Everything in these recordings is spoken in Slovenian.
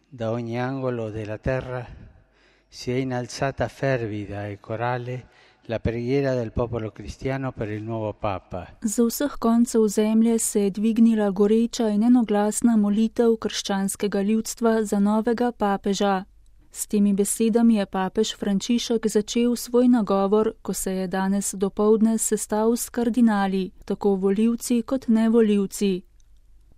da ogni angolo della terra si è innalzata fervida e corale la preghiera del popolo cristiano per il nuovo Papa. Z vseh koncev zemlje se je dvignila goreča in enoglasna molitev krščanskega ljudstva za novega papeža. S temi besedami je papež Frančišek začel svoj nagovor, ko se je danes dopoldne sestal s kardinali, tako volivci kot nevolivci.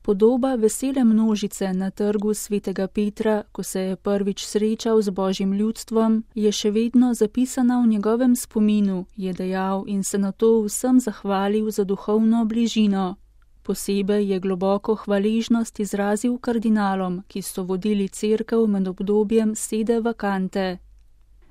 Podoba vesele množice na trgu svetega Petra, ko se je prvič srečal z božjim ljudstvom, je še vedno zapisana v njegovem spominu, je dejal in se na to vsem zahvalil za duhovno bližino. Posebej je globoko hvaležnost izrazil kardinalom, ki so vodili cerkev med obdobjem sede vakante.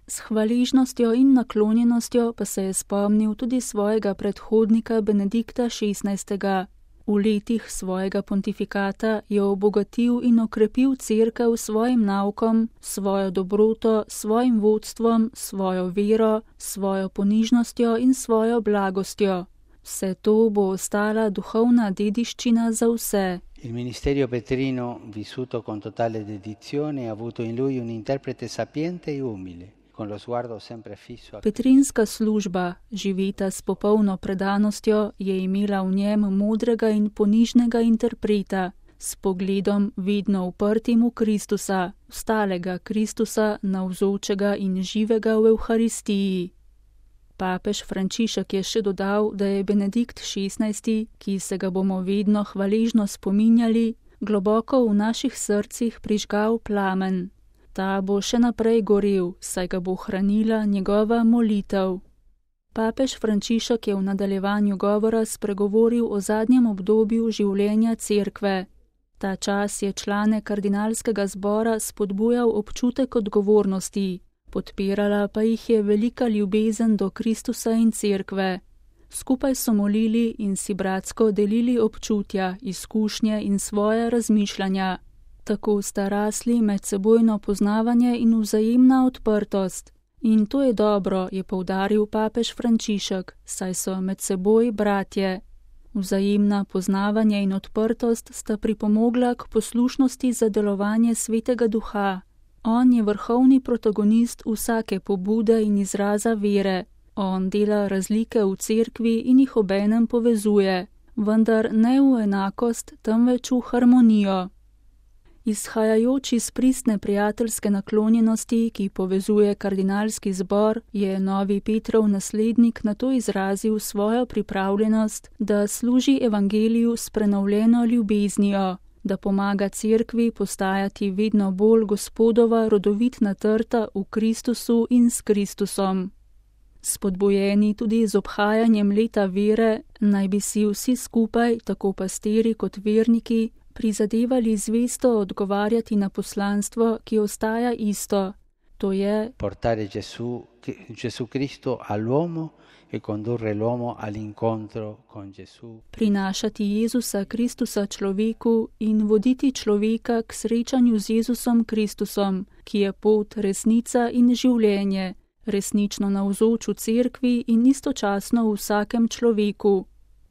S hvaležnostjo in naklonjenostjo pa se je spomnil tudi svojega predhodnika Benedikta XVI. V letih svojega pontifikata je obogatil in okrepil cerkev s svojim naukom, svojo dobroto, svojim vodstvom, svojo vero, svojo ponižnostjo in svojo blagostjo. Vse to bo ostala duhovna dediščina za vse. Il ministerio petrino, vissuto con totale dedizione, ha avuto in lui un interprete sapiente e umile. Petrinska služba, živeta s popolno predanostjo, je imela v njem modrega in ponižnega interpreta, s pogledom vedno uprtim v Kristusa, vstalega Kristusa, navzočega in živega v Evharistiji. Papež Frančišek je še dodal, da je Benedikt XVI., ki se ga bomo vedno hvaležno spominjali, globoko v naših srcih prižgal plamen. Ta bo še naprej gorel, saj ga bo hranila njegova molitev. Papež Frančišek je v nadaljevanju govora spregovoril o zadnjem obdobju življenja cerkve. Ta čas je člane kardinalskega zbora spodbujal občutek odgovornosti, podpirala pa jih je velika ljubezen do Kristusa in cerkve. Skupaj so molili in si bratsko delili občutja, izkušnje in svoje razmišljanja. Tako sta rasli medsebojno poznavanje in vzajemna odprtost. In to je dobro, je poudaril papež Frančišek, saj so med seboj bratje. Vzajemna poznavanje in odprtost sta pripomogla k poslušnosti za delovanje Svetega Duha. On je vrhovni protagonist vsake pobude in izraza vere. On dela razlike v cerkvi in jih obenem povezuje, vendar ne v enakost, temveč v harmonijo. Izhajajoč iz pristne prijateljske naklonjenosti, ki povezuje kardinalski zbor, je novi Petrov naslednik na to izrazil svojo pripravljenost, da služi evangeliju s prenovljeno ljubeznijo, da pomaga cerkvi postajati vedno bolj Gospodova rodovitna trta v Kristusu in s Kristusom. Spodbujeni tudi z obhajanjem leta vere, naj bi si vsi skupaj, tako pastiri kot verniki, prizadevali zvesto odgovarjati na poslanstvo, ki ostaja isto. To je portare Gesù Cristo all'uomo e condurre l'uomo all'incontro con Gesù. Prinašati Jezusa Kristusa človeku in voditi človeka k srečanju z Jezusom Kristusom, ki je pot, resnica in življenje, resnično navzoč v cerkvi in istočasno v vsakem človeku.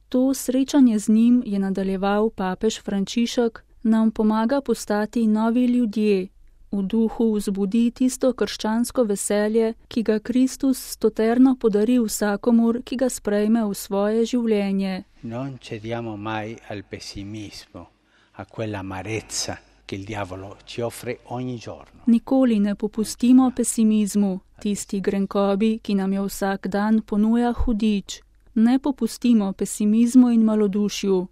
To srečanje z njim, je nadaljeval papež Frančišek, nam pomaga postati novi ljudje, v duhu vzbudi tisto krščansko veselje, ki ga Kristus stoterno podari vsakomur, ki ga sprejme v svoje življenje. Non cediamo mai al pessimismo, a quella amarezza che il diavolo ci offre ogni giorno. Nikoli ne popustimo pesimizmu, tisti grenkobi, ki nam jo vsak dan ponuja hudič. Ne popustimo pesimizmu in malodušju.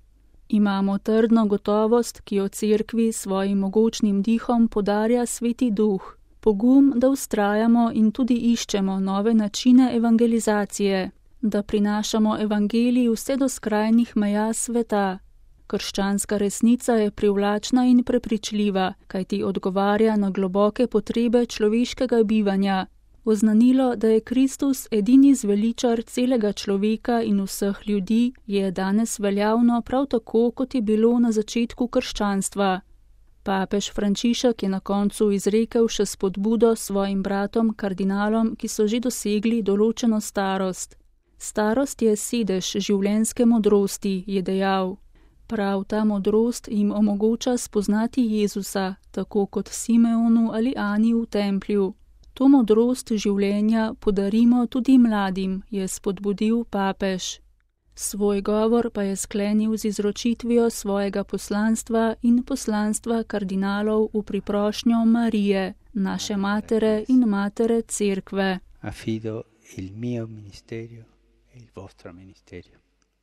Imamo trdno gotovost, ki jo cerkvi svojim mogočnim dihom podarja Sveti Duh. Pogum, da vztrajamo in tudi iščemo nove načine evangelizacije, da prinašamo evangelij vse do skrajnih meja sveta. Krščanska resnica je privlačna in prepričljiva, kajti odgovarja na globoke potrebe človeškega bivanja. Oznanilo, da je Kristus edini zveličar celega človeka in vseh ljudi, je danes veljavno prav tako, kot je bilo na začetku krščanstva. Papež Frančišek je na koncu izrekel še spodbudo svojim bratom kardinalom, ki so že dosegli določeno starost. Starost je sedež življenjske modrosti, je dejal. Prav ta modrost jim omogoča spoznati Jezusa, tako kot Simeonu ali Ani v templju. To modrost življenja podarimo tudi mladim, je spodbudil papež. Svoj govor pa je sklenil z izročitvijo svojega poslanstva in poslanstva kardinalov v priprošnjo Marije, naše matere in matere Cerkve. Affido il mio ministerio e il vostro ministerio.